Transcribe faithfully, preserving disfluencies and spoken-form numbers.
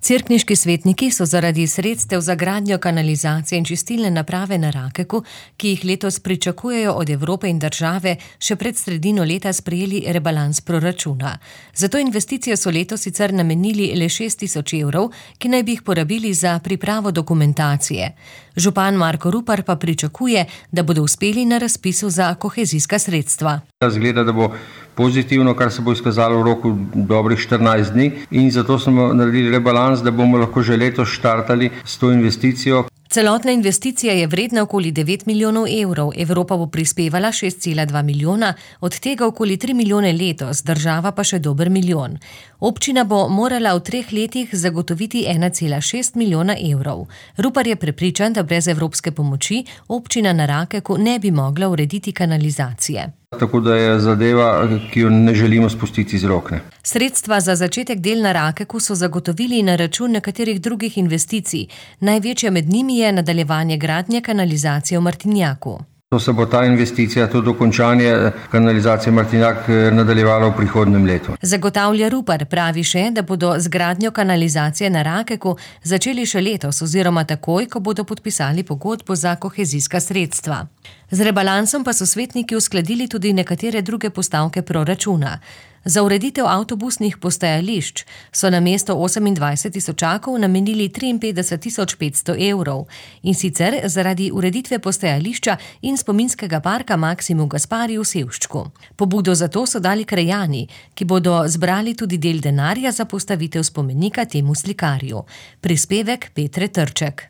Cerkniški svetniki so zaradi sredstev za gradnjo kanalizacije in čistilne naprave na Rakeku, ki jih letos pričakujejo od Evrope in države, še pred sredino leta sprejeli rebalans proračuna. Za to investicijo so letos sicer namenili le šest tisoč evrov, ki naj bi jih porabili za pripravo dokumentacije. Župan Marko Rupar pa pričakuje, da bodo uspeli na razpisu za kohezijska sredstva. Zgleda, da bo pozitivno, kar se bo izkazalo v roku dobrih štirinajst dni, in zato smo naredili rebalans, da bomo lahko že letos štartali s to investicijo. Celotna investicija je vredna okoli devet milijonov evrov, Evropa bo prispevala šest cela dva milijona, od tega okoli tri milijone letos, država pa še dober milijon. Občina bo morala v treh letih zagotoviti ena cela šest milijona evrov. Rupar je prepričan, da brez evropske pomoči občina na Rakeku ne bi mogla urediti kanalizacije. Tako da je zadeva, ki jo ne želimo spustiti iz rok. Sredstva za začetek del na Rakeku so zagotovili na račun nekaterih drugih investicij. Največja med njimi je nadaljevanje gradnje kanalizacije v Martinjaku. To se bo ta investicija, to dokončanje kanalizacije Martinjak nadaljevalo v prihodnjem letu. Zagotavlja Rupar, pravi še, da bodo z gradnjo kanalizacije na Rakeku začeli še letos oziroma takoj, ko bodo podpisali pogodbo za kohezijska sredstva. Z rebalansom pa so svetniki uskladili tudi nekatere druge postavke proračuna. Za ureditev avtobusnih postajališč so namesto osemindvajset tisočakov namenili triinpetdeset tisoč petsto evrov, in sicer zaradi ureditve postajališča in spominskega parka Maksimu Gaspari v Sevščku. Pobudo za to so dali krajani, ki bodo zbrali tudi del denarja za postavitev spomenika temu slikarju. Prispevek Petre Trček.